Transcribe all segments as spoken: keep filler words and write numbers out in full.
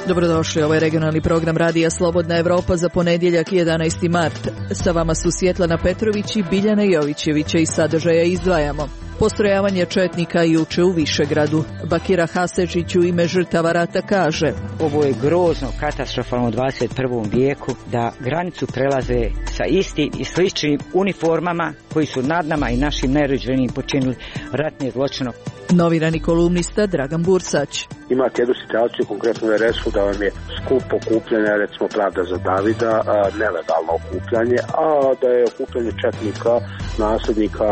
Dobrodošli, ovo je regionalni program Radija Slobodna Evropa za ponedjeljak jedanaesti mart. Sa vama su Svjetlana Petrović i Biljana Jovićevića i sadržaja izdvajamo. Postrojavanje četnika juče u Višegradu. Bakira Hasečić u ime žrtava rata kaže: ovo je grozno, katastrofalno u dvadeset prvom vijeku da granicu prelaze sa istim i sličnim uniformama koji su nad nama i našim najrođenijim počinili ratne zločine. Novinarni kolumnista Dragan Bursać. Imate jednu situaciju, konkretno u er esu, da vam je skup okupljanja, recimo Pravda za Davida, nelegalno okupljanje, a da je okupljanje četnika, nasljednika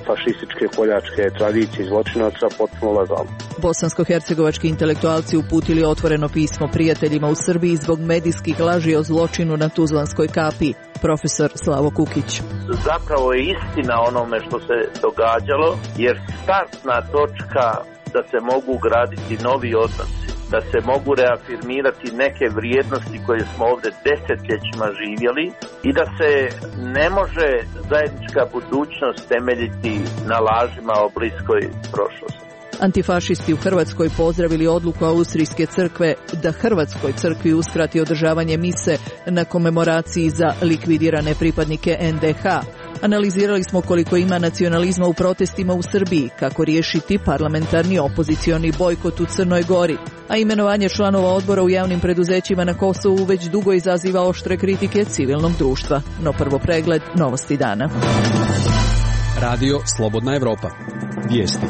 fašističke koljačke tradicije i zločinaca potpuno legalno. Bosansko-hercegovački intelektualci uputili otvoreno pismo prijateljima u Srbiji zbog medijskih laži o zločinu na Tuzlanskoj kapiji. Profesor Slavo Kukić. Zapravo je istina onome što se događalo, jer startna točka da se mogu graditi novi odnosi, da se mogu reafirmirati neke vrijednosti koje smo ovdje desetljećima živjeli i da se ne može zajednička budućnost temeljiti na lažima o bliskoj prošlosti. Antifašisti u Hrvatskoj pozdravili odluku Austrijske crkve da Hrvatskoj crkvi uskrati održavanje mise na komemoraciji za likvidirane pripadnike en de ha. Analizirali smo koliko ima nacionalizma u protestima u Srbiji, kako riješiti parlamentarni opozicioni bojkot u Crnoj Gori, a imenovanje članova odbora u javnim preduzećima na Kosovu već dugo izaziva oštre kritike civilnog društva. No prvo pregled novosti dana. Radio Slobodna Evropa. Vijesti.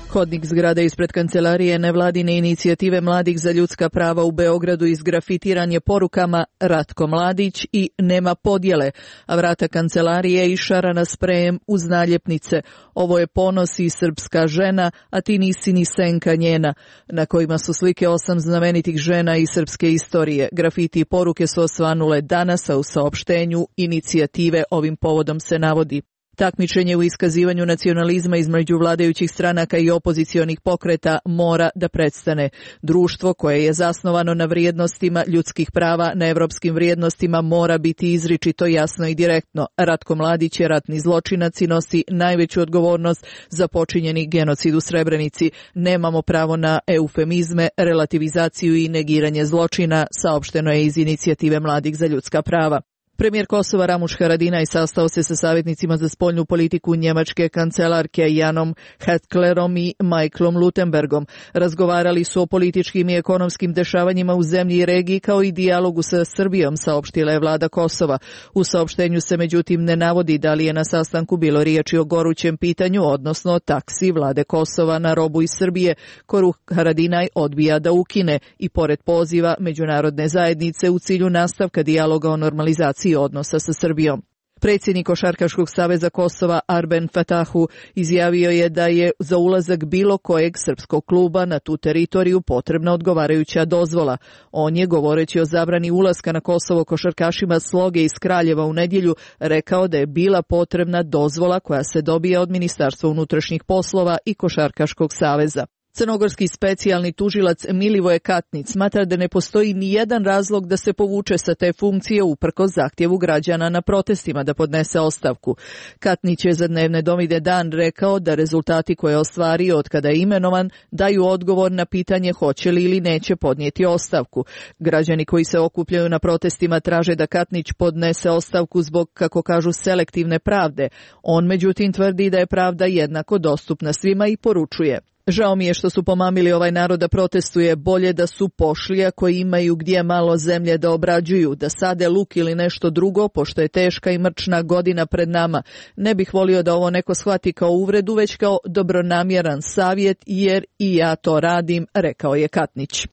Hodnik zgrade ispred kancelarije nevladine inicijative Mladih za ljudska prava u Beogradu izgrafitiran je porukama Ratko Mladić i Nema podjele, a vrata kancelarije išarana sprejem uz naljepnice. Ovo je ponos i srpska žena, a ti nisi ni senka njena, na kojima su slike osam znamenitih žena iz srpske istorije. Grafiti i poruke su osvanule danas, a u saopštenju inicijative ovim povodom se navodi: takmičenje u iskazivanju nacionalizma između vladajućih stranaka i opozicionih pokreta mora da prestane. Društvo koje je zasnovano na vrijednostima ljudskih prava, na evropskim vrijednostima, mora biti izričito, jasno i direktno. Ratko Mladić je ratni zločinac i nosi najveću odgovornost za počinjeni genocid u Srebrenici. Nemamo pravo na eufemizme, relativizaciju i negiranje zločina, saopšteno je iz inicijative Mladih za ljudska prava. Premijer Kosova Ramuš Haradinaj sastao se sa savjetnicima za spoljnu politiku njemačke kancelarke Janom Hetklerom i Michaelom Lutenbergom. Razgovarali su o političkim i ekonomskim dešavanjima u zemlji i regiji, kao i dijalogu sa Srbijom, saopštila je vlada Kosova. U saopštenju se međutim ne navodi da li je na sastanku bilo riječi o gorućem pitanju, odnosno o taksi vlade Kosova na robu iz Srbije, koju Haradinaj odbija da ukine, i pored poziva međunarodne zajednice u cilju nastavka dijaloga o normalizaciji odnosa sa Srbijom. Predsjednik Košarkaškog saveza Kosova Arben Fatahu izjavio je da je za ulazak bilo kojeg srpskog kluba na tu teritoriju potrebna odgovarajuća dozvola. On je, govoreći o zabrani ulaska na Kosovo košarkašima Sloge iz Kraljeva u nedjelju, rekao da je bila potrebna dozvola koja se dobija od Ministarstva unutrašnjih poslova i Košarkaškog saveza. Crnogorski specijalni tužilac Milivoje Katnić smatra da ne postoji ni jedan razlog da se povuče sa te funkcije uprkos zahtjevu građana na protestima da podnese ostavku. Katnić je za Dnevne novine Dan rekao da rezultati koje je ostvario od kada je imenovan daju odgovor na pitanje hoće li ili neće podnijeti ostavku. Građani koji se okupljaju na protestima traže da Katnić podnese ostavku zbog, kako kažu, selektivne pravde. On međutim tvrdi da je pravda jednako dostupna svima i poručuje: žao mi je što su pomamili ovaj narod da protestuje, bolje da su pošli ako imaju gdje malo zemlje da obrađuju, da sade luk ili nešto drugo, pošto je teška i mrčna godina pred nama. Ne bih volio da ovo neko shvati kao uvredu, već kao dobronamjeran savjet, jer i ja to radim, rekao je Katnić.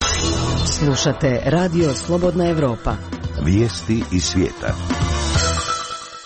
Slušate Radio Slobodna Evropa. Vijesti iz svijeta.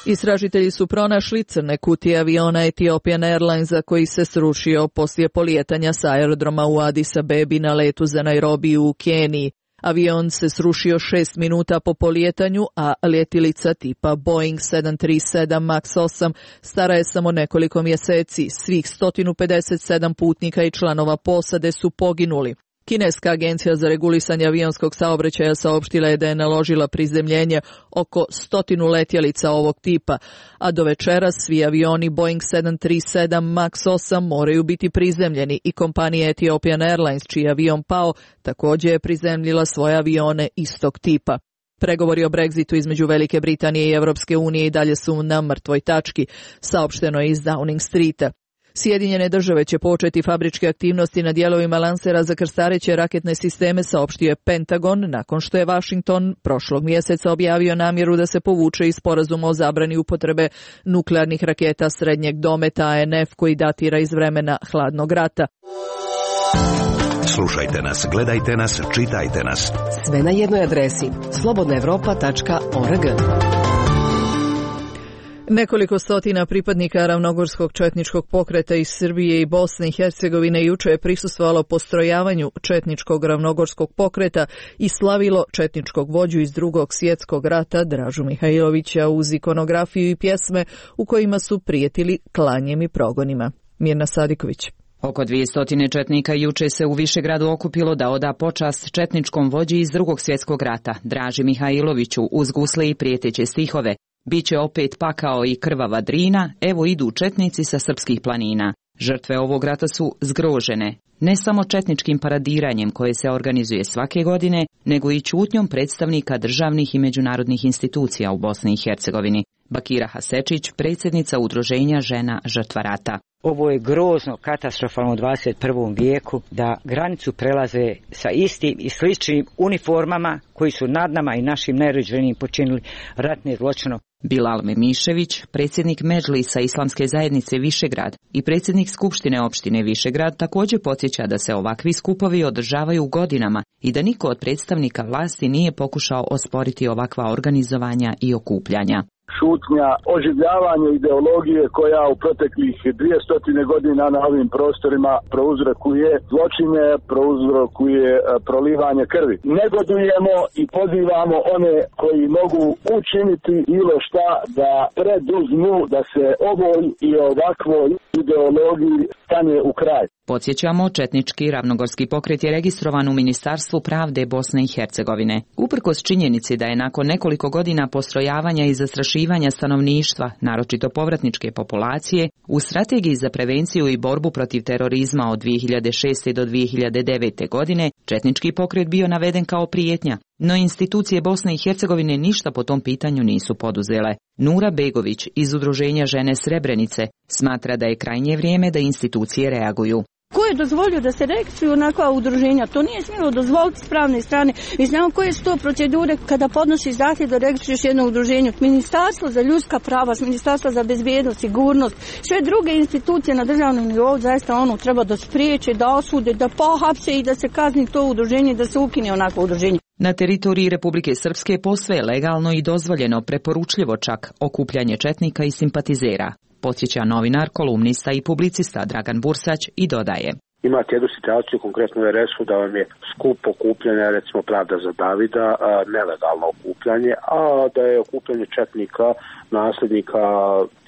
Istražitelji su pronašli crne kutije aviona Ethiopian Airlinesa koji se srušio poslije polijetanja sa aerodroma u Addis Abebi na letu za Nairobi u Keniji. Avion se srušio šest minuta po polijetanju, a letjelica tipa Boeing sedam tri sedam Max osam stara je samo nekoliko mjeseci. Svih sto pedeset sedam putnika i članova posade su poginuli. Kineska agencija za regulisanje avionskog saobraćaja saopštila je da je naložila prizemljenje oko stotinu letjelica ovog tipa, a do večeras svi avioni Boeing sedam tri sedam Max osam moraju biti prizemljeni i kompanija Ethiopian Airlines, čiji je avion pao, također je prizemljila svoje avione istog tipa. Pregovori o Brexitu između Velike Britanije i Europske unije i dalje su na mrtvoj tački, saopšteno je iz Downing Streeta. Sjedinjene države će početi fabričke aktivnosti na dijelovima lansera za krstareće raketne sisteme, saopštio je Pentagon, nakon što je Washington prošlog mjeseca objavio namjeru da se povuče iz sporazuma o zabrani upotrebe nuklearnih raketa srednjeg dometa A N F koji datira iz vremena hladnog rata. Slušajte nas, gledajte nas, čitajte nas. Sve na jednoj adresi slobodna evropa tačka org. Nekoliko stotina pripadnika ravnogorskog četničkog pokreta iz Srbije i Bosne i Hercegovine juče je prisustvovalo postrojavanju četničkog ravnogorskog pokreta i slavilo četničkog vođu iz Drugog svjetskog rata Dražu Mihajlovića uz ikonografiju i pjesme u kojima su prijetili klanjem i progonima. Mirna Sadiković. Oko dvjesto četnika juče se u Višegradu okupilo da oda počast četničkom vođi iz Drugog svjetskog rata Draži Mihajloviću uz gusle i prijeteće stihove. Biće opet pakao i krvava Drina, evo idu četnici sa srpskih planina. Žrtve ovog rata su zgrožene, ne samo četničkim paradiranjem koje se organizuje svake godine, nego i ćutnjom predstavnika državnih i međunarodnih institucija u Bosni i Hercegovini. Bakira Hasečić, predsjednica udruženja žena žrtva rata. Ovo je grozno, katastrofalno u dvadeset prvom vijeku da granicu prelaze sa istim i sličnim uniformama koji su nad nama i našim najrođenijim počinili ratne zločine. Bilal Memišević, predsjednik Medžlisa Islamske zajednice Višegrad i predsjednik Skupštine opštine Višegrad, također podsjeća da se ovakvi skupovi održavaju godinama i da niko od predstavnika vlasti nije pokušao osporiti ovakva organizovanja i okupljanja. Šutnja, oživljavanje ideologije koja u proteklih dvjesto godina na ovim prostorima prouzrokuje zločine, prouzrokuje prolivanje krvi. Negodujemo i pozivamo one koji mogu učiniti bilo šta da preduzmu da se ovoj i ovakvoj ideologiji stane u kraj. Podsjećamo, četnički ravnogorski pokret je registrovan u Ministarstvu pravde Bosne i Hercegovine. Uprkos činjenici da je nakon nekoliko godina postrojavanja i zastrašivanja stanovništva, naročito povratničke populacije, u strategiji za prevenciju i borbu protiv terorizma od dvije hiljade šeste do dvije hiljade devete godine, četnički pokret bio naveden kao prijetnja, no institucije Bosne i Hercegovine ništa po tom pitanju nisu poduzele. Nura Begović iz udruženja Žene Srebrenice smatra da je krajnje vrijeme da institucije reaguju. Ko je dozvolio da se registruju onakva udruženja? To nije smjelo dozvoliti s pravne strane. Mi znamo koje su to procedure kada podnosiš zahtjev da registruješ jedno udruženje. Ministarstvo za ljudska prava, Ministarstvo za bezbjednost, sigurnost, sve druge institucije na državnom nivou zaista ono treba da spriječe, da osude, da pohapse i da se kazni to udruženje, da se ukine onakvo udruženje. Na teritoriji Republike Srpske posve je legalno i dozvoljeno, preporučljivo čak, okupljanje četnika i simpatizera. Podsjeća novinar, kolumnista i publicista Dragan Bursać i dodaje. Imate jednu situaciju, konkretno u R S-u, da vam je skup okupljanje, recimo Pravda za Davida, nelegalno okupljanje, a da je okupljanje četnika, nasljednika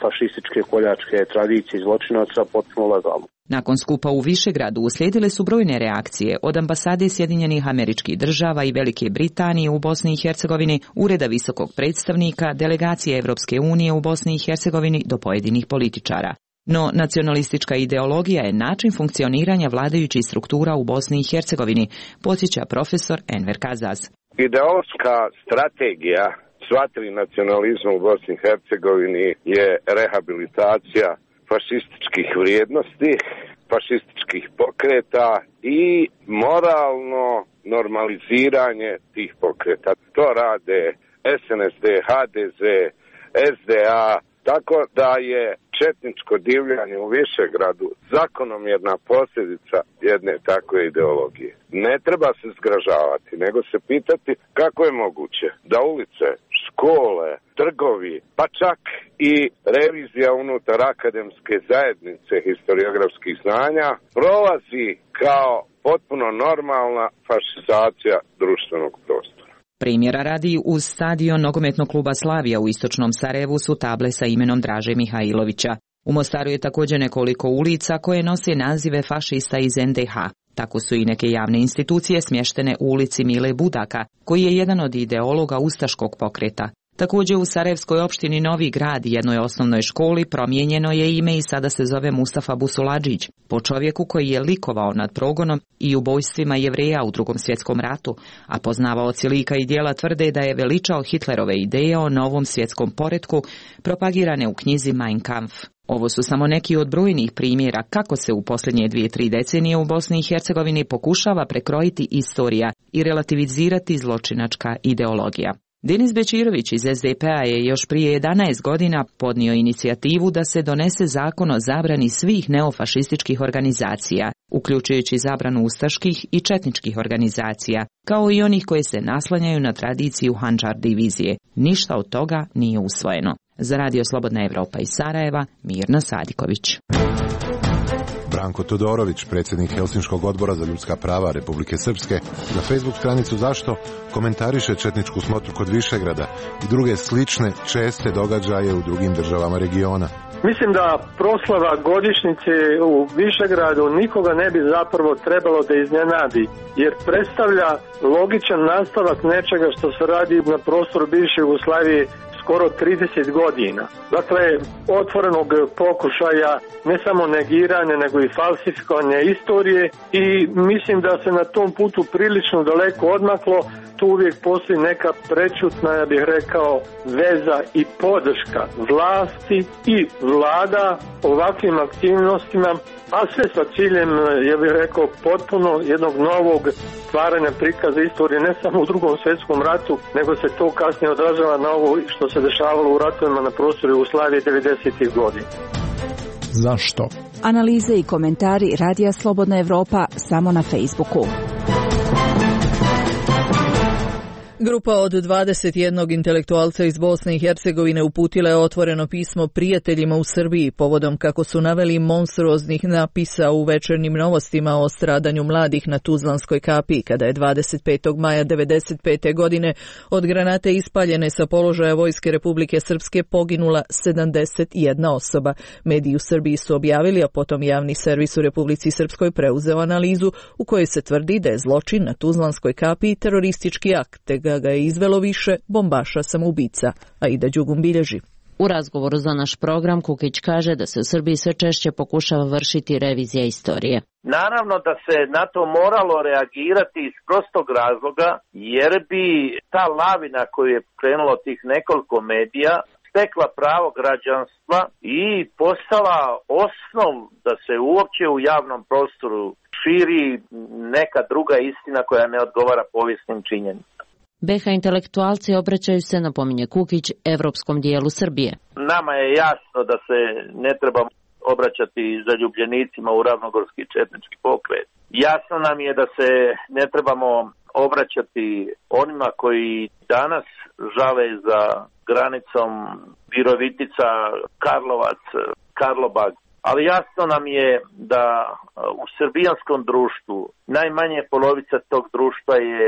fašističke koljačke tradicije i zločinaca potpuno legalno. Nakon skupa u Višegradu uslijedile su brojne reakcije od ambasade Sjedinjenih Američkih Država i Velike Britanije u Bosni i Hercegovini, Ureda visokog predstavnika, delegacije Evropske unije u Bosni i Hercegovini do pojedinih političara. No, nacionalistička ideologija je način funkcioniranja vladajućih struktura u Bosni i Hercegovini, podsjeća profesor Enver Kazaz. Ideološka strategija sva tri nacionalizma u Bosni i Hercegovini je rehabilitacija fašističkih vrijednosti, fašističkih pokreta i moralno normaliziranje tih pokreta. To rade S N S D, H D Z, S D A, tako da je četničko divljanje u Višegradu zakonomjerna posljedica jedne takve ideologije. Ne treba se zgražavati, nego se pitati kako je moguće da ulice, škole, trgovi, pa čak i revizija unutar akademske zajednice historiografskih znanja prolazi kao potpuno normalna fašizacija društvenog prostora. Primjera radi, uz stadion nogometnog kluba Slavija u istočnom Sarajevu su table sa imenom Draže Mihajlovića. U Mostaru je također nekoliko ulica koje nose nazive fašista iz N D H. Tako su i neke javne institucije smještene u ulici Mile Budaka, koji je jedan od ideologa ustaškog pokreta. Također u Sarajevskoj opštini Novi Grad, jednoj osnovnoj školi, promijenjeno je ime i sada se zove Mustafa Busuladžić, po čovjeku koji je likovao nad progonom i ubojstvima Jevreja u Drugom svjetskom ratu, a poznavaoci lika i djela tvrde da je veličao Hitlerove ideje o novom svjetskom poretku propagirane u knjizi Mein Kampf. Ovo su samo neki od brojnih primjera kako se u posljednje dvije, tri decenije u Bosni i Hercegovini pokušava prekrojiti istorija i relativizirati zločinačka ideologija. Denis Bečirović iz es de pe-a je još prije jedanaest godina podnio inicijativu da se donese zakon o zabrani svih neofašističkih organizacija, uključujući zabranu ustaških i četničkih organizacija, kao i onih koje se naslanjaju na tradiciju Handžar divizije. Ništa od toga nije usvojeno. Za Radio Slobodna Evropa iz Sarajeva, Mirna Sadiković. Branko Todorović, predsjednik Helsinškog odbora za ljudska prava Republike Srpske, na Facebook stranicu Zašto komentariše četničku smotru kod Višegrada i druge slične česte događaje u drugim državama regiona. Mislim da proslava godišnjice u Višegradu nikoga ne bi zapravo trebalo da iznenadi, jer predstavlja logičan nastavak nečega što se radi na prostoru bivše Jugoslavije skoro trideset godina. Dakle, otvorenog pokušaja ne samo negiranja, nego i falsifikovanja istorije i mislim da se na tom putu prilično daleko odmaklo. Tu uvijek postoji neka prečutna, ja bih rekao, veza i podrška vlasti i vlada ovakvim aktivnostima, a sve sa ciljem, ja bih rekao, potpuno jednog novog stvaranja prikaza istorije ne samo u Drugom svjetskom ratu, nego se to kasnije odražava na ovo što se dešavalo u ratovima na prostoru Jugoslavije devedesetih godina. Zašto? Analize i komentari Radija Slobodna Evropa samo na Facebooku. Grupa od dvadeset jednog intelektualca iz Bosne i Hercegovine uputila je otvoreno pismo prijateljima u Srbiji povodom, kako su naveli, monstruoznih napisa u večernjim novostima o stradanju mladih na Tuzlanskoj kapiji, kada je dvadeset petog maja devedeset pete godine od granate ispaljene sa položaja Vojske Republike Srpske poginula sedamdeset jedna osoba. Mediji u Srbiji su objavili, a potom javni servis u Republici Srpskoj preuzeo analizu u kojoj se tvrdi da je zločin na Tuzlanskoj kapiji teroristički akt, te ga je izvelo više bombaša samoubica, Aida Đugum bilježi. U razgovoru za naš program Kukić kaže da se u Srbiji sve češće pokušava vršiti revizija istorije. Naravno da se na to moralo reagirati iz prostog razloga, jer bi ta lavina koju je krenulo tih nekoliko medija stekla pravo građanstva i postala osnov da se uopće u javnom prostoru širi neka druga istina koja ne odgovara povijesnim činjenicama. be ha intelektualci obraćaju se, napominje Kukić, evropskom dijelu Srbije. Nama je jasno da se ne treba obraćati zaljubljenicima u ravnogorski četnički pokret. Jasno nam je da se ne trebamo obraćati onima koji danas žale za granicom Virovitica, Karlovac, Karlobag. Ali jasno nam je da u srbijanskom društvu najmanje polovica tog društva je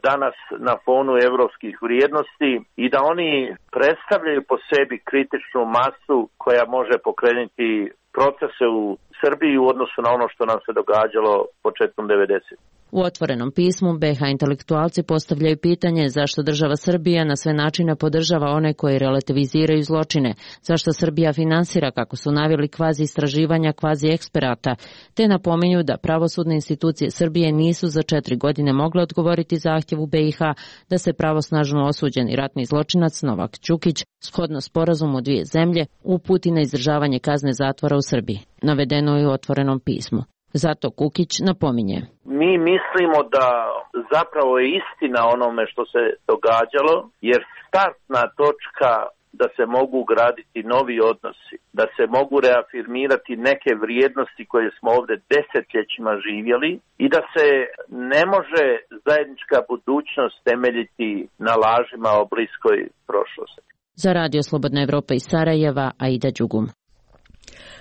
danas na fonu evropskih vrijednosti i da oni predstavljaju po sebi kritičnu masu koja može pokrenuti procese u Srbiji u odnosu na ono što nam se događalo početkom devedesetih. U otvorenom pismu be ha intelektualci postavljaju pitanje zašto država Srbija na sve načine podržava one koji relativiziraju zločine, zašto Srbija finansira, kako su naveli, kvazi istraživanja kvazi eksperata, te napominju da pravosudne institucije Srbije nisu za četiri godine mogle odgovoriti zahtjevu be i ha da se pravosnažno osuđeni ratni zločinac Novak Đukić, shodno sporazumu dvije zemlje, uputi na izdržavanje kazne zatvora u Srbiji. Navedeno je u otvorenom pismu. Zato Kukić napominje. Mi mislimo da zapravo je istina onome što se događalo, jer startna točka da se mogu graditi novi odnosi, da se mogu reafirmirati neke vrijednosti koje smo ovdje desetljećima živjeli i da se ne može zajednička budućnost temeljiti na lažima o bliskoj prošlosti. Za Radio Slobodna Evropa iz Sarajeva, Aida Đugum.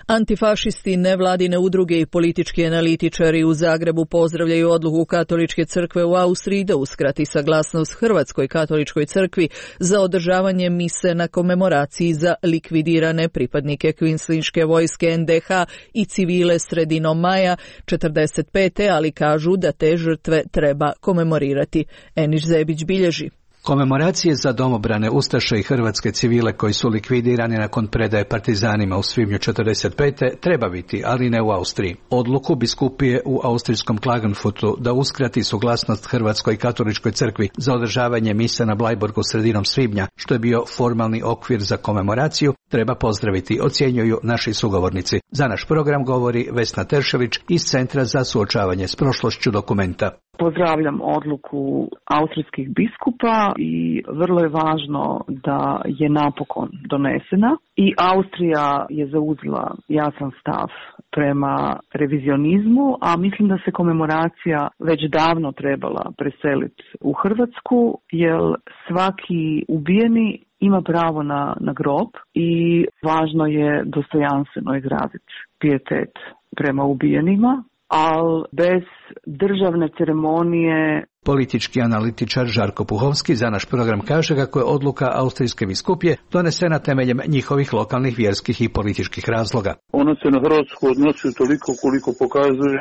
Antifašisti, nevladine udruge i politički analitičari u Zagrebu pozdravljaju odluku Katoličke crkve u Austriji da uskrati saglasnost Hrvatskoj katoličkoj crkvi za održavanje mise na komemoraciji za likvidirane pripadnike kvinslinške vojske en de ha i civile sredinom maja četrdeset pete ali kažu da te žrtve treba komemorirati. Eniš Zebić bilježi. Komemoracije za domobrane ustaše i hrvatske civile koji su likvidirani nakon predaje partizanima u svibnju četrdeset pete treba biti, ali ne u Austriji. Odluku biskupije u austrijskom Klagenfutu da uskrati suglasnost Hrvatskoj katoličkoj crkvi za održavanje misa na Blajburgu sredinom svibnja, što je bio formalni okvir za komemoraciju, treba pozdraviti, ocjenjuju naši sugovornici. Za naš program govori Vesna Teršelić iz Centra za suočavanje s prošlošću Dokumenta. Pozdravljam odluku austrijskih biskupa i vrlo je važno da je napokon donesena i Austrija je zauzela jasan stav prema revizionizmu, a mislim da se komemoracija već davno trebala preseliti u Hrvatsku, jer svaki ubijeni ima pravo na, na grob i važno je dostojanstveno izraziti pijetet prema ubijenima, ali bez državne ceremonije. Politički analitičar Žarko Puhovski za naš program kaže kako je odluka austrijske biskupije donesena temeljem njihovih lokalnih vjerskih i političkih razloga. Ona se na Hrvatsku odnosi toliko koliko pokazuje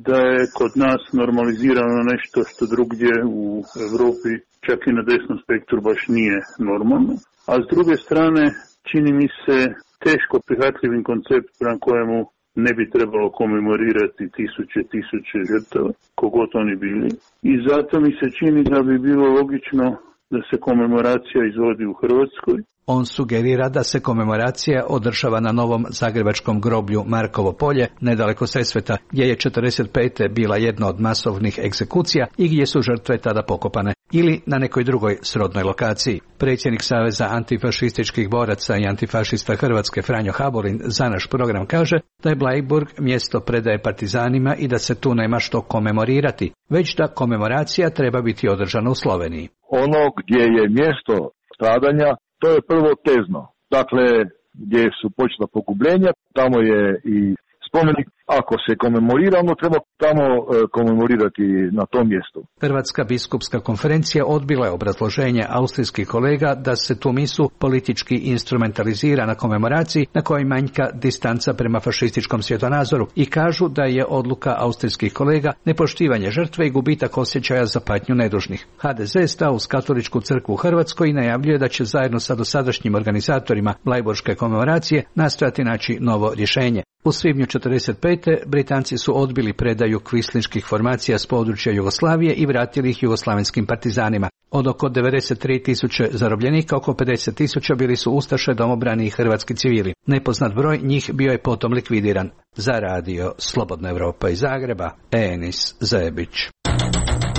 da je kod nas normalizirano nešto što drugdje u Europi čak i na desnom spektru baš nije normalno. A s druge strane čini mi se teško prihvatljivim koncept prema kojemu ne bi trebalo komemorirati tisuće, tisuće žrtava, kogod oni bili. I zato mi se čini da bi bilo logično da se komemoracija izvodi u Hrvatskoj. On sugerira da se komemoracija održava na novom zagrebačkom groblju Markovo polje, nedaleko Sesveta, gdje je četrdeset pete bila jedna od masovnih egzekucija i gdje su žrtve tada pokopane, ili na nekoj drugoj srodnoj lokaciji. Predsjednik Saveza antifašističkih boraca i antifašista Hrvatske Franjo Haborin za naš program kaže da je Bleiburg mjesto predaje partizanima i da se tu nema što komemorirati, već da komemoracija treba biti održana u Sloveniji. Ono gdje je mjesto stradanja, to je prvo Tezno. Dakle, gdje su počela pogubljenja, tamo je i spomenik. Ako se komemorira, onda treba tamo e, komemorirati na tom mjestu. Hrvatska biskupska konferencija odbila je obrazloženje austrijskih kolega da se tu misu politički instrumentalizira na komemoraciji na kojoj manjka distanca prema fašističkom svjetonazoru i kažu da je odluka austrijskih kolega nepoštivanje žrtve i gubitak osjećaja za patnju nedužnih. ha de ze stao uz Katoličku crkvu u Hrvatskoj i najavljuje da će zajedno sa dosadašnjim organizatorima Blajburške komemoracije nastojati naći novo rješenje. U svibnju četrdeset pete Britanci su odbili predaju kvislinških formacija s područja Jugoslavije i vratili ih jugoslavenskim partizanima. Od oko devedeset tri tisuće zarobljenika, oko pedeset tisuća bili su ustaše, domobrani i hrvatski civili. Nepoznat broj njih bio je potom likvidiran. Za radio Slobodna Evropa iz Zagreba, Enis Zebić.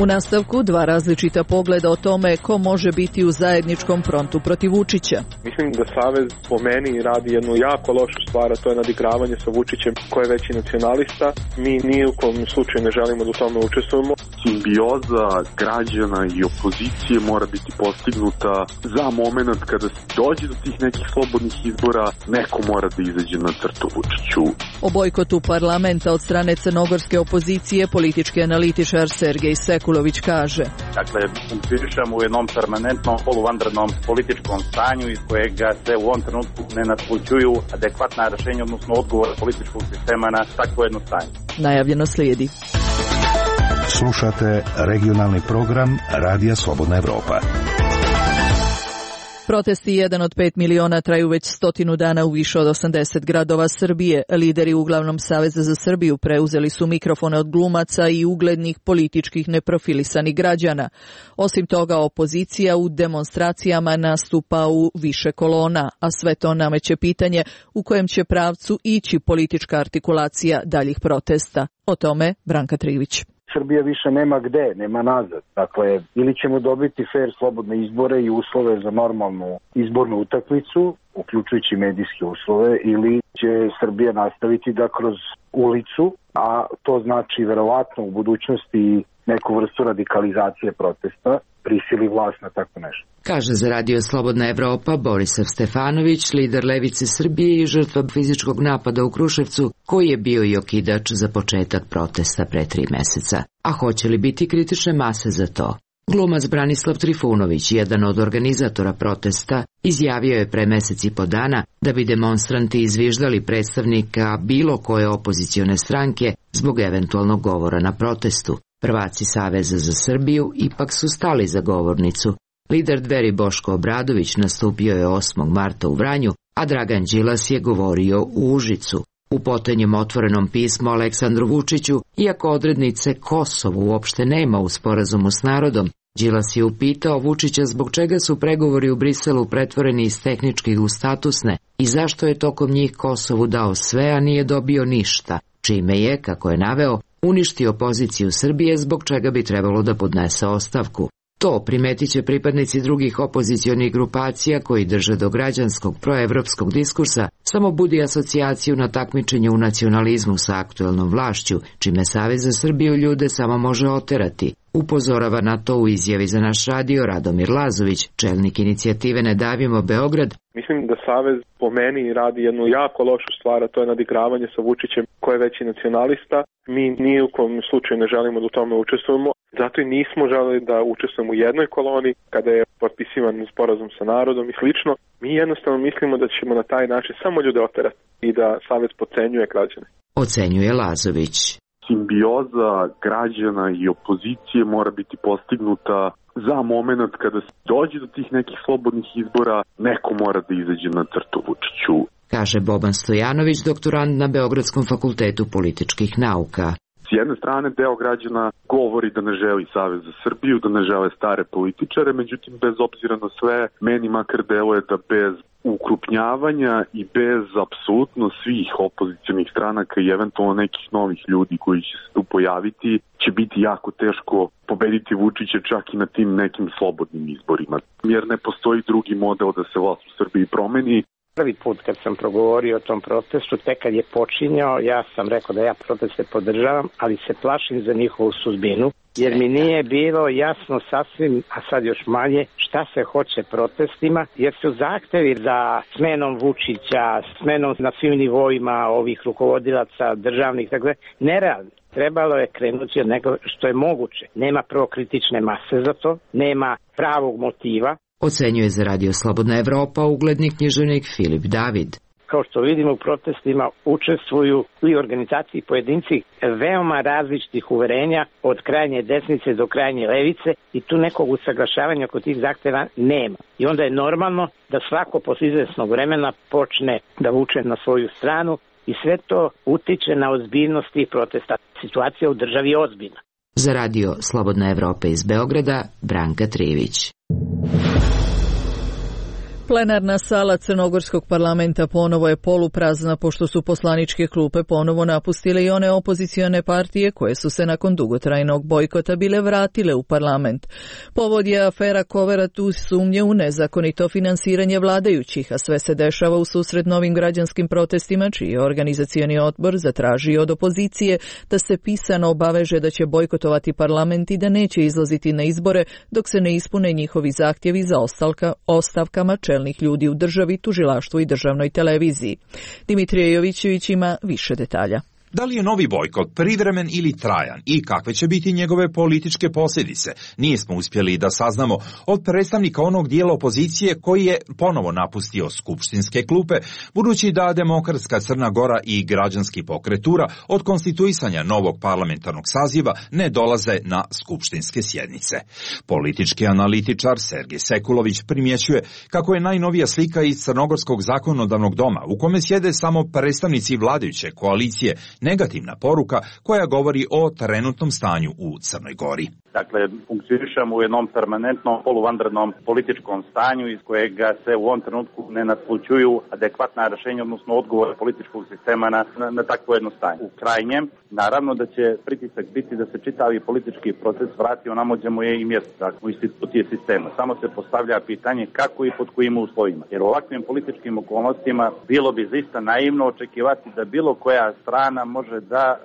U nastavku dva različita pogleda o tome ko može biti u zajedničkom frontu protiv Vučića. Mislim da Savez po meni radi jednu jako lošu stvar, a to je nadigravanje sa Vučićem koji je veći nacionalista. Mi ni u kom slučaju ne želimo da u tome učestvujemo. Simbioza građana i opozicije mora biti postignuta za moment kada se dođe do tih nekih slobodnih izbora, neko mora da izađe na crtu Vučiću. O bojkotu parlamenta od strane crnogorske opozicije politički analitičar Sergej Sekulović kaže. Dakle, funkcionišemo u jednom permanentnom poluvanrednom političkom stanju iz kojega se u ovom trenutku ne naslućuju adekvatna rješenja, odnosno odgovor političkog sistema na takvo jedno stanje. Najavljeno slijedi. Slušate regionalni program Radija Slobodna Evropa. Protesti jedan od pet miliona traju već stotinu dana u više od osamdeset gradova Srbije. Lideri uglavnom Saveza za Srbiju preuzeli su mikrofone od glumaca i uglednih političkih neprofilisanih građana. Osim toga, opozicija u demonstracijama nastupa u više kolona, a sve to nameće pitanje u kojem će pravcu ići politička artikulacija daljih protesta. O tome Branka Trivić. Srbija više nema gde, nema nazad. Dakle, ili ćemo dobiti fair slobodne izbore i uslove za normalnu izbornu utakmicu, uključujući medijske uslove, ili će Srbija nastaviti da kroz ulicu, a to znači verovatno u budućnosti neku vrstu radikalizacije protesta, prisili vlast na tako nešto. Kaže za Radio Slobodna Evropa Borisav Stefanović, lider Levice Srbije i žrtva fizičkog napada u Kruševcu, koji je bio i okidač za početak protesta pre tri meseca. A hoće li biti kritične mase za to? Glumac Branislav Trifunović, jedan od organizatora protesta, izjavio je pre mesec i po dana da bi demonstranti izviždali predstavnika bilo koje opozicione stranke zbog eventualnog govora na protestu. Prvaci Saveza za Srbiju ipak su stali za govornicu. Lider Dveri Boško Obradović nastupio je osmog marta u Vranju, a Dragan Đilas je govorio u Užicu. U potonjem otvorenom pismu Aleksandru Vučiću, iako odrednice Kosovo uopšte nema u sporazumu s narodom, Đilas je upitao Vučića zbog čega su pregovori u Briselu pretvoreni iz tehničkih u statusne i zašto je tokom njih Kosovu dao sve, a nije dobio ništa, čime je, kako je naveo, uništio poziciju Srbije zbog čega bi trebalo da podnese ostavku. To primetit će pripadnici drugih opozicionih grupacija koji drže do građanskog proevropskog diskursa, samo budi asocijaciju na takmičenje u nacionalizmu sa aktuelnom vlašću, čime Savez za Srbiju ljude samo može oterati. Upozorava na to u izjavi za naš radio Radomir Lazović, čelnik inicijative Ne davimo Beograd. Mislim da Savez po meni radi jednu jako lošu stvar, a to je nadigravanje sa Vučićem koji je veći nacionalista. Mi ni u kom slučaju ne želimo da u tome učestvujemo, zato i nismo želeli da učestvujemo u jednoj koloni kada je potpisivan sporazum sa narodom i slično. Mi jednostavno mislimo da ćemo na taj način samo ljude oterati i da Savez podcenjuje građane. Ocenjuje Lazović. Simbioza građana i opozicije mora biti postignuta za moment kada se dođe do tih nekih slobodnih izbora, neko mora da izađe na crtu Vučiću. Kaže Boban Stojanović, doktorant na Beogradskom fakultetu političkih nauka. S jedne strane, deo građana govori da ne želi Savez za Srbiju, da ne žele stare političare, međutim, bez obzira na sve, meni makar deluje da bez ukrupnjavanja i bez apsolutno svih opozicionih stranaka i eventualno nekih novih ljudi koji će se tu pojaviti, će biti jako teško pobediti Vučića čak i na tim nekim slobodnim izborima. Jer ne postoji drugi model da se vlast u Srbiji promeni. Prvi put kad sam progovorio o tom protestu, tek kad je počinjao, ja sam rekao da ja proteste podržavam, ali se plašim za njihovu sudbinu, jer mi nije bilo jasno sasvim, a sad još manje, šta se hoće protestima, jer su zahtevi za smenom Vučića, smenom na svim nivoima ovih rukovodilaca državnih, dakle, nerealni. Trebalo je krenuti od nego što je moguće. Nema prvo kritične mase za to, nema pravog motiva. Ocenjuje za Radio Slobodna Evropa ugledni književnik Filip David. Kao što vidimo, u protestima učestvuju i organizaciji i pojedinci veoma različitih uverenja od krajnje desnice do krajnje levice i tu nekog usaglašavanja oko tih zahteva nema. I onda je normalno da svako posle izvesnog vremena počne da vuče na svoju stranu i sve to utiče na ozbiljnost tih protesta. Situacija u državi je ozbiljna. Za Radio Slobodna Evropa iz Beograda, Branka Trivić. Plenarna sala Crnogorskog parlamenta ponovo je poluprazna pošto su poslaničke klupe ponovo napustile i one opozicione partije koje su se nakon dugotrajnog bojkota bile vratile u parlament. Povod je afera Koverat uz sumnje u nezakonito finansiranje vladajućih, a sve se dešava u susret novim građanskim protestima čiji je organizacioni odbor zatražio od opozicije da se pisano obaveže da će bojkotovati parlament i da neće izlaziti na izbore dok se ne ispune njihovi zahtjevi za ostalka, ostavkama čelnih ljudi u državi, tužilaštvu i državnoj televiziji. Dimitrije Jovićević ima više detalja. Da li je novi bojkot privremen ili trajan i kakve će biti njegove političke posljedice, nismo uspjeli da saznamo od predstavnika onog dijela opozicije koji je ponovo napustio skupštinske klupe, budući da Demokratska Crna Gora i građanski pokretura od konstituisanja novog parlamentarnog saziva ne dolaze na skupštinske sjednice. Politički analitičar Sergej Sekulović primjećuje kako je najnovija slika iz Crnogorskog zakonodavnog doma, u kome sjede samo predstavnici vladajuće koalicije, negativna poruka koja govori o trenutnom stanju u Crnoj Gori. Dakle, funkcionišemo u jednom permanentnom poluvanrednom političkom stanju iz kojega se u ovom trenutku ne natlučuju adekvatna rješenja, odnosno odgovore političkog sistema na, na, na takvo jedno stanje. U krajnjem, naravno da će pritisak biti da se čitavi politički proces vrati onamođe mu je i mjesto, dakle, u institucije sistema. Samo se postavlja pitanje kako i pod kojim uslovima. Jer u ovakvim političkim okolnostima bilo bi zaista naivno očekivati da bilo koja strana može da uh,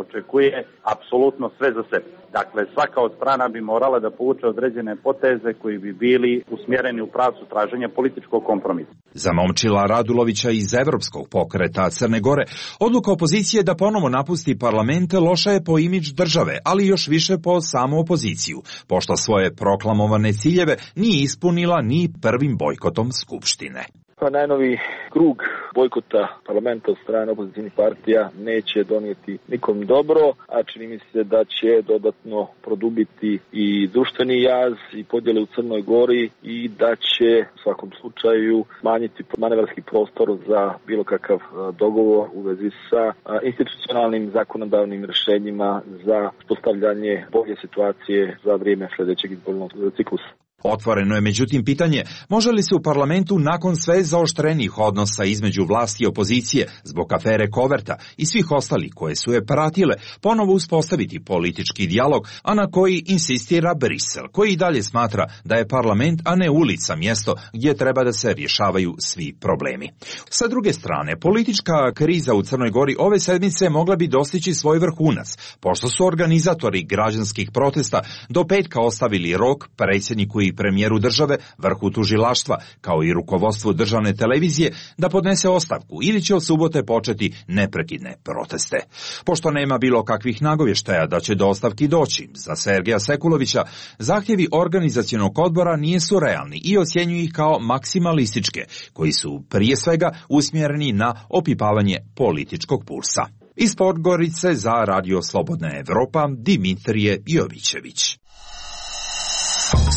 očekuje apsolutno sve za sebe. Dakle, svaka od strana bi morala da povuče određene poteze koji bi bili usmjereni u pravcu traženja političkog kompromisa. Za Momčila Radulovića iz Evropskog pokreta Crne Gore, odluka opozicije da ponovo napusti parlament loša je po imidž države, ali još više po samu opoziciju, pošto svoje proklamovane ciljeve nije ispunila ni prvim bojkotom Skupštine. Pa najnovi krug bojkota parlamenta od strane opozicijnih partija neće donijeti nikom dobro, a čini mi se da će dodatno produbiti i društveni jaz i podjele u Crnoj Gori i da će u svakom slučaju smanjiti manevarski prostor za bilo kakav dogovor u vezi sa institucionalnim zakonodavnim rješenjima za postavljanje bolje situacije za vrijeme sljedećeg izbornog ciklusa. Otvoreno je međutim pitanje može li se u parlamentu nakon sve zaoštrenih odnosa između vlasti i opozicije zbog afere Koverta i svih ostalih koje su je pratile ponovo uspostaviti politički dijalog, a na koji insistira Brisel, koji i dalje smatra da je parlament, a ne ulica, mjesto gdje treba da se rješavaju svi problemi. Sa druge strane, politička kriza u Crnoj Gori ove sedmice mogla bi dostići svoj vrhunac, pošto su organizatori građanskih protesta do petka ostavili rok predsjedniku i premijeru države, vrhu tužilaštva, kao i rukovodstvu državne televizije, da podnese ostavku ili će od subote početi neprekidne proteste. Pošto nema bilo kakvih nagovještaja da će do ostavki doći, za Sergeja Sekulovića, zahtjevi organizacionog odbora nisu realni i ocjenjuju ih kao maksimalističke, koji su prije svega usmjereni na opipavanje političkog pulsa. Iz Podgorice za Radio Slobodna Evropa, Dimitrije Jovićević.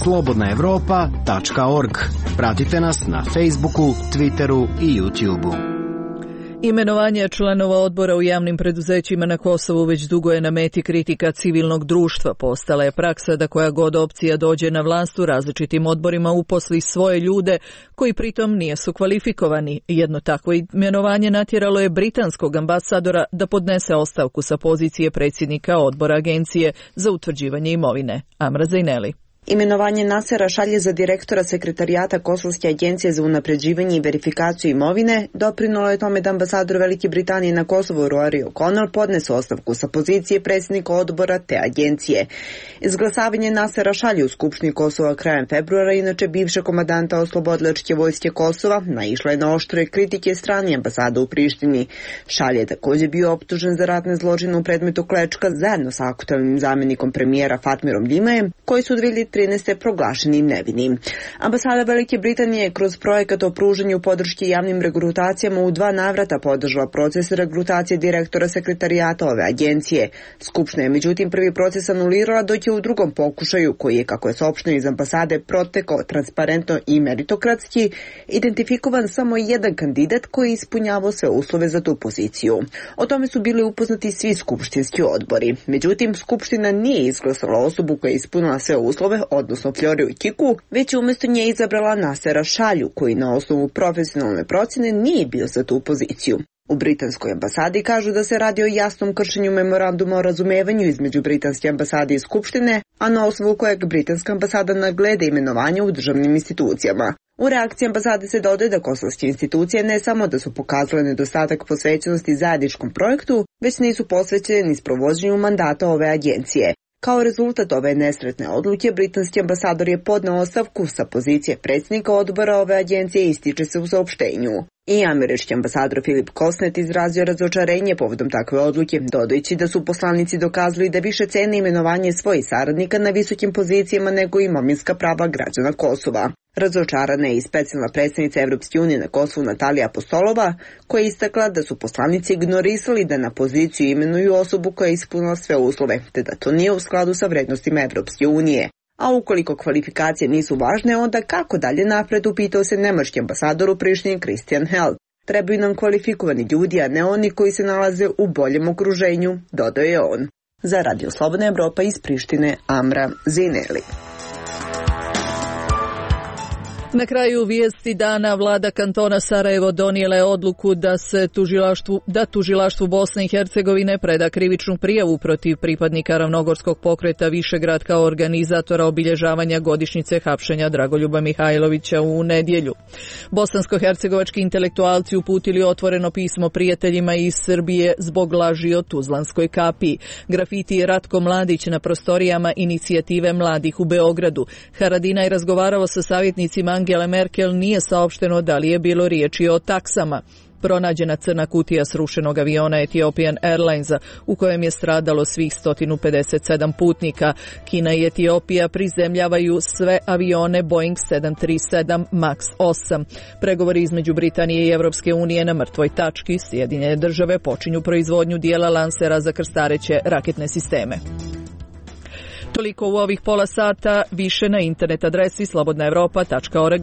slobodna evropa tačka org. Pratite nas na Facebooku, Twitteru i YouTubeu. Imenovanje članova odbora u javnim preduzećima na Kosovu već dugo je na meti kritika civilnog društva. Postala je praksa da koja god opcija dođe na vlast u različitim odborima uposli svoje ljude koji pritom nisu kvalifikovani. Jedno takvo imenovanje natjeralo je britanskog ambasadora da podnese ostavku sa pozicije predsjednika odbora Agencije za utvrđivanje imovine. Amra Zajneli. Imenovanje Nasera Šalje za direktora sekretarijata Kosovske agencije za unapređivanje i verifikaciju imovine doprinalo je tome da ambasador Velike Britanije na Kosovu Rory O'Connor podnese ostavku sa pozicije predsjednika odbora te agencije. Izglasavanje Nasera Šalje u Skupštini Kosova krajem februara, inače bivšeg komandanta oslobodilačke vojske Kosova, naišla je na oštre kritike strane ambasade u Prištini. Šalje je također bio optužen za ratne zločine u predmetu Klečka zajedno sa aktualnim zamjenikom premijera Fatmirom Dimajem, koji su dvije hiljade trinaeste. proglašeni nevinim. Ambasada Velike Britanije kroz projekat o pružanju podrške javnim regrutacijama u dva navrata podržala proces regrutacije direktora sekretarijata ove agencije. Skupština je međutim prvi proces anulirala, dok je u drugom pokušaju, koji je, kako je saopšteno iz ambasade, protekao transparentno i meritokratski, identifikovan samo jedan kandidat koji je ispunjavao sve uslove za tu poziciju. O tome su bili upoznati svi skupštinski odbori. Međutim, Skupština nije izglasala osobu koja je ispunila sve uslove, odnosno Floriju Kiku, već je umjesto nje izabrala Nasera Šalju, koji na osnovu profesionalne procjene nije bio za tu poziciju. U britanskoj ambasadi kažu da se radi o jasnom kršenju memoranduma o razumevanju između britanske ambasade i Skupštine, a na osnovu kojeg britanska ambasada nagleda imenovanja u državnim institucijama. U reakciji ambasade se dodaje da kosovske institucije ne samo da su pokazale nedostatak posvećenosti zajedničkom projektu, već nisu posvećene ni sprovođenju mandata ove agencije. Kao rezultat ove nesretne odluke, britanski ambasador je podneo ostavku sa pozicije predsjednika odbora ove agencije, ističe se u saopštenju. I američki ambasador Filip Kosnet izrazio razočarenje povodom takve odluke, dodajući da su poslanici dokazali da više cene imenovanje svojih saradnika na visokim pozicijama nego imovinska prava građana Kosova. Razočarana je i specijalna predstavnica Evropske unije na Kosovu Natalija Apostolova, koja je istakla da su poslanici ignorisali da na poziciju imenuju osobu koja je ispunila sve uslove, te da to nije u skladu sa vrednostima Evropske unije. A ukoliko kvalifikacije nisu važne, onda kako dalje napred, upitao se nemački ambasador u Prištini Christian Held. Trebaju nam kvalifikovani ljudi, a ne oni koji se nalaze u boljem okruženju, dodao je on. Za Radio Slobodna Evropa iz Prištine, Amra Zineli. Na kraju vijesti dana vlada kantona Sarajevo donijela je odluku da se tužilaštvu, da tužilaštvu Bosne i Hercegovine preda krivičnu prijavu protiv pripadnika Ravnogorskog pokreta Višegrad kao organizatora obilježavanja godišnjice hapšenja Dragoljuba Mihajlovića u nedjelju. Bosansko-hercegovački intelektualci uputili otvoreno pismo prijateljima iz Srbije zbog laži o Tuzlanskoj kapiji. Grafiti Ratko Mladić na prostorijama inicijative mladih u Beogradu. Haradinaj je razgovarao sa savjetnicima Angele Merkel, nije saopšteno da li je bilo riječi o taksama. Pronađena crna kutija srušenog aviona Ethiopian Airlinesa u kojem je stradalo svih sto pedeset sedam putnika. Kina i Etiopija prizemljavaju sve avione Boeing sedam tri sedam Max osam. Pregovori između Britanije i Europske unije na mrtvoj tački. Sjedinjene države počinju proizvodnju dijela lansera za krstareće raketne sisteme. Toliko u ovih pola sata, više na internet adresi slobodna evropa tačka org.